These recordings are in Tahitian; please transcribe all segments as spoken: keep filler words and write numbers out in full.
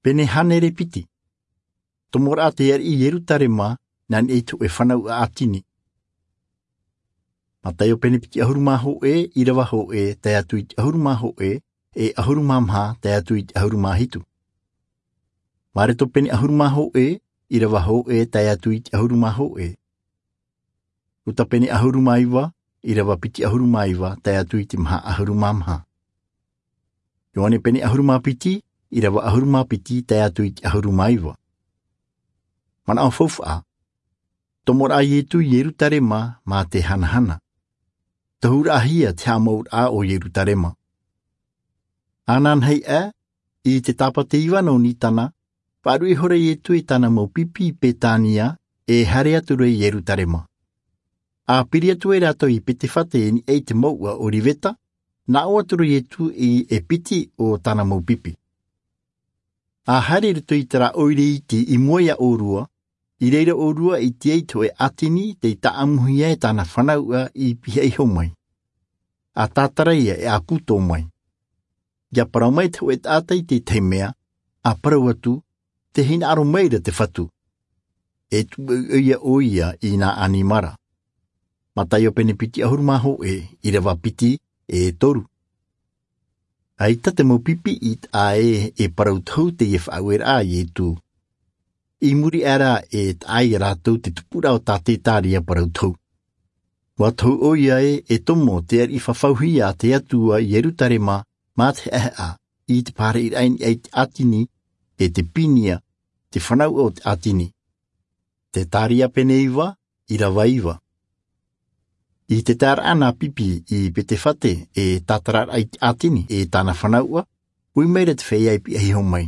Pene hānere piti. Tomoraʻa te ariʻi i Ierutarema, nā niʻa i te hōʻē fanauʻa ʻātini. Mataio pene piti ʻahuru mā hōʻē, ʻīrava hōʻē tae atu i te ʻahuru mā hōʻē, e ʻahuru mā maha tae atu i te ʻahuru mā hitu. Mareto pene ʻahuru mā hōʻē, ʻīrava hōʻē tae atu i te ʻahuru mā hōʻē. Luka pene ʻahuru mā iva, ʻīrava piti ʻahuru mā iva tae atu i te maha ʻahuru mā maha. Ioane pene ʻahuru mā piti, ʻīrava ʻahuru mā piti tae atu i te ʻahuru mā iva. Manaʻo faufaʻa. Tomoraʻa a Ietu i Ierutarema mā te hanahana. Tohuraʻahia te haʻamāuʻaraʻa o Ierutarema. Ananahi ʻā, i te tāpati iva nō Nisana, faʻaruʻe ihora Ietu e tāna mau pipi i Betania, e haere atu ra i Ierutarema. A piri atu ai rātou i Betefage i niʻa i te mouʻa Oliveta, nā ʻō atu ra Ietu i e piti o tāna mau pipi. A haere i roto i terā ʻoire iti i mua ia ʻōrua, i reira ʻōrua i ʻite ai te hōʻē ʻātini tei tāʻamuhia e tāna fanauʻa i pihaʻi iho mai. A tātara ia e a pūtō mai. ʻIa parau mai te hōʻē taʻata i te tahi mea, a parau atu, tē hinaʻaro mai ra te Fatu. E tuʻu ʻoia ʻoia i nā ʻanimara. Mataio pene piti ʻahuru mā hōʻē, ʻīrava piti, e toru. ʻAita te mau pipi i taʻa ē e parau tohu teie faʻaueraʻa a Ietu. I muri aʻe ra e taʻa ia rātou te tupuraʻa o tā Zekaria parau tohu. ʻUa tohu ʻoia ē e tomo te ariʻi fafauhia a te Atua i Ierutarema mā te haʻehaʻa i te pāraʻiraʻa i niʻa i te ʻātini, e te pinia, te fanauʻa o te ʻātini. Zekaria pene iva, ʻīrava iva. I te taeraʻa nā pipi i Betefage e tātararaʻa i te ʻātini e tāna fanauʻa, ui mai ra te feiā i pihaʻi iho mai.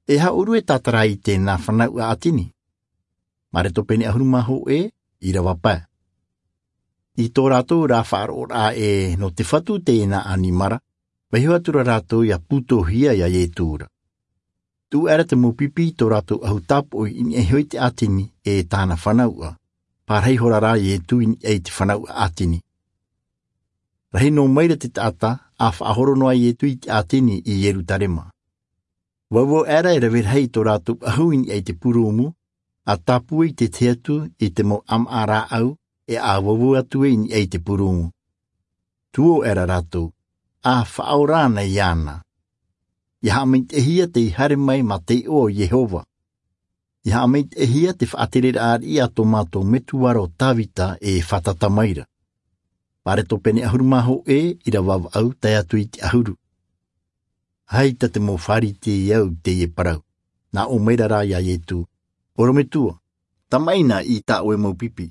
E aha ʻōrua e tātara i te nā fanauʻa ʻātini? Mareto pene ʻahuru mā hōʻē, ʻīrava pae. I tō rātou rā faʻaroʻoraʻa ē nō te Fatu teie nā ʻanimara, vaiiho atu ra rātou ʻia pūtōhia ia Ietu ra. Tuʻu aʻe ra te mau pipi i tō rātou ʻahu tāpoʻi i niʻa iho i te ʻātini e tāna fanauʻa, pārahi ihora rā Ietu i niʻa i te fanauʻa ʻātini. Rahi noa mai ra te taʻata, a faʻahoro noa Ietu i te ʻātini i Ierutarema. Vauvau aʻe ra e rave rahi i tō rātou ʻahu i niʻa i te purūmu, a tāpū i te tahi atu i te mau ʻāmaʻa rāʻau, e a vauvau atu ai i niʻa i te purūmu. Tuō aʻe ra rātou, a faʻaora ana iāna. ʻIa haʻamaitaʻihia tei haere mai mā te iʻoa o Iehova. ʻIa haʻamaitaʻihia te faʻatereraʻa ariʻi a tō mātou metua ra ʻo Davida e fātata mai ra. Mareto pene ʻahuru mā hōʻē, ʻīrava vaʻu tae atu i te ʻahuru. ʻAita te mau Pharisea i teie parau. Nā ʻō mai ra rā ia Ietu, ʻorometua, tamaʻi na i tā ʻoe mau pipi.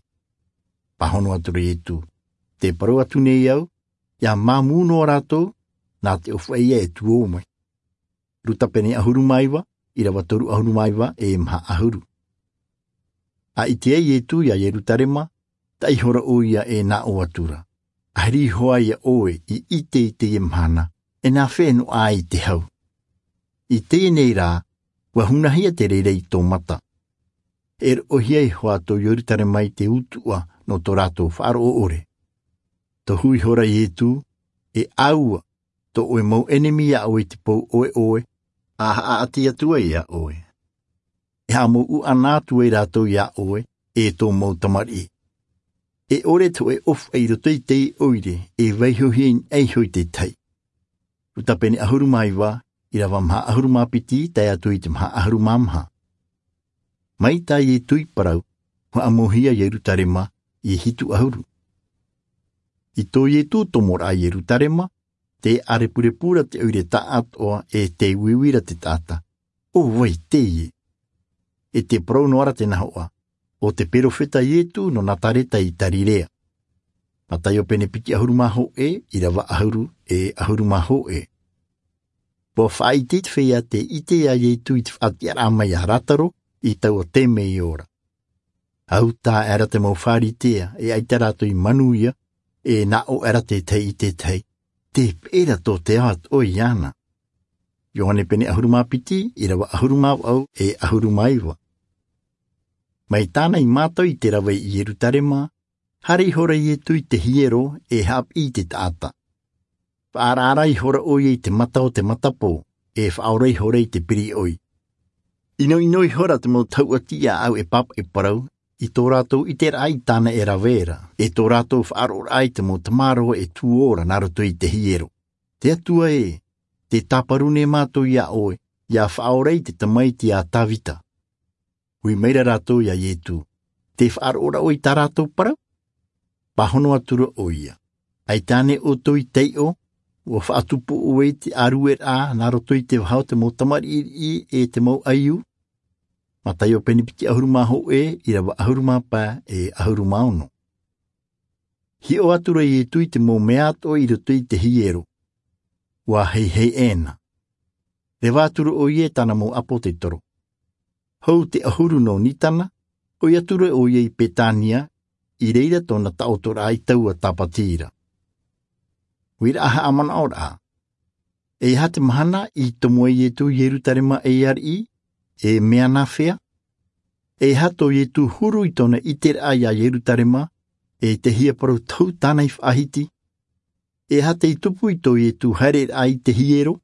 Pāhono atu ra Ietu, tē parau atu nei au, ʻia māmū noa rātou, nā te ʻōfaʻi ïa e tuō mai. Luka pene ʻahuru mā iva, ʻīrava toru ʻahuru mā iva e maha ʻahuru. A ʻite ai Ietu ia Ierutarema, taʻa ihora ʻoia e nā ʻō atu ra. ʻAhiri iho ā ia ʻoe i ʻite i teie mahana, e nā fea e noaʻa ai te hau. I teie nei rā, ʻua hunahia te reira i tō mata. E roʻohia iho ā tō Ierutarema i te utuʻa nō tō rātou faʻaroʻo ʻore. Tohu ihora Ietu, e ʻāua, tō ʻoe mau ʻenemi ia ʻoe i te pou ʻoeʻoe, a haʻaʻati atu ai ia ʻoe. E haʻamāuʻa atu ai rātou ia ʻoe, e tō mau tamariʻi. E ʻore te hōʻē ʻōfaʻi i roto i te ʻoire, e vaiihohia i niʻa iho i te tahi. Luka pene ʻahuru mā iva, ʻīrava maha ʻahuru mā piti, tae atu i te maha ʻahuru mā maha. Mai tā Ietu i parau, ʻua ʻamauhia Ierutarema, i hitu ʻahuru. I tō Ietu tomoraʻa i Ierutarema, tē ʻārepurepu ra te ʻoire taʻatoʻa e tē uiui ra te taʻata. ʻO vai teie? E tē parau noa ra te nahoʻa, ʻo te perofeta Ietu nō Nazareta i Galilea. Mataio pene piti ʻahuru mā hōʻē, ʻīrava ʻahuru, e ʻahuru mā hōʻē. ʻUa faʻaʻite te feiā tē ʻite ia Ietu i te faʻatiʻaraʻa mai a Lazaro, i taua taime i ora. ʻAuta aʻera te mau Pharisea, e ʻaita rātou i manuia, e nā ʻō aʻera te tahi i te tahi, tē peʻe ra tō te ao atoʻa iāna. Ioane pene ʻahuru mā piti, ʻīrava ʻahuru mā vaʻu, e ʻahuru mā iva. Mai tāna i mātau i te rave i Ierutarema, haere ihora Ietu i te hiero, e haʻapiʻi i te taʻata. Faʻaaraʻara ihora ʻoia i te mata o te matapō, e faʻaora ihora i te piriʻoi. ʻInoʻino ihora te mau tauʻati iā ʻau e pāpaʻi parau i tō rātou ʻiteraʻa i tāna e rave ra, e tō rātou faʻaroʻoraʻa i te mau tamaroa e tuō ra nā roto i te hiero. Te Atua ē, tē tāparu nei mātou iā ʻoe, ʻia faʻaora i te tamaiti a Tavita. Ui maira rātou iā Ietu, tē faʻaroʻo ra ʻoe i tā rātou parau? Pāhono atura ʻoia, ʻaita ānei ʻoutou i taiʻo, ʻua faʻatupu ʻoe i te ʻārueraʻa nā roto i te vaha o te mau tamariʻiriʻi e te mau ʻaiū? Mataio pene piti ʻahuru mā hōʻē, ʻirava ʻahuru mā pae e ʻahuru mā ono. Hiʻo atura Ietu i te mau mea atoʻa i roto i te hiero, ʻua heihei ʻē na. Reva atura ʻoia e tāna mau ʻāpōtetoro. Hou te ʻahuru nō Nisana, ʻoi atura ʻoia i Betania, i reira tōna taʻotoraʻa i taua tāpati ra. Uiraʻa haʻamanaʻoraʻa. E aha te mahana i tomo ai Ietu i Ierutarema e ariʻi, e mea nāfea? E aha tō Ietu huru i tōna ʻiteraʻa iā Ierutarema, e te hiaparau tohu tāna i faʻahiti? E aha tei tupu i tō Ietu haereraʻa i te hiero,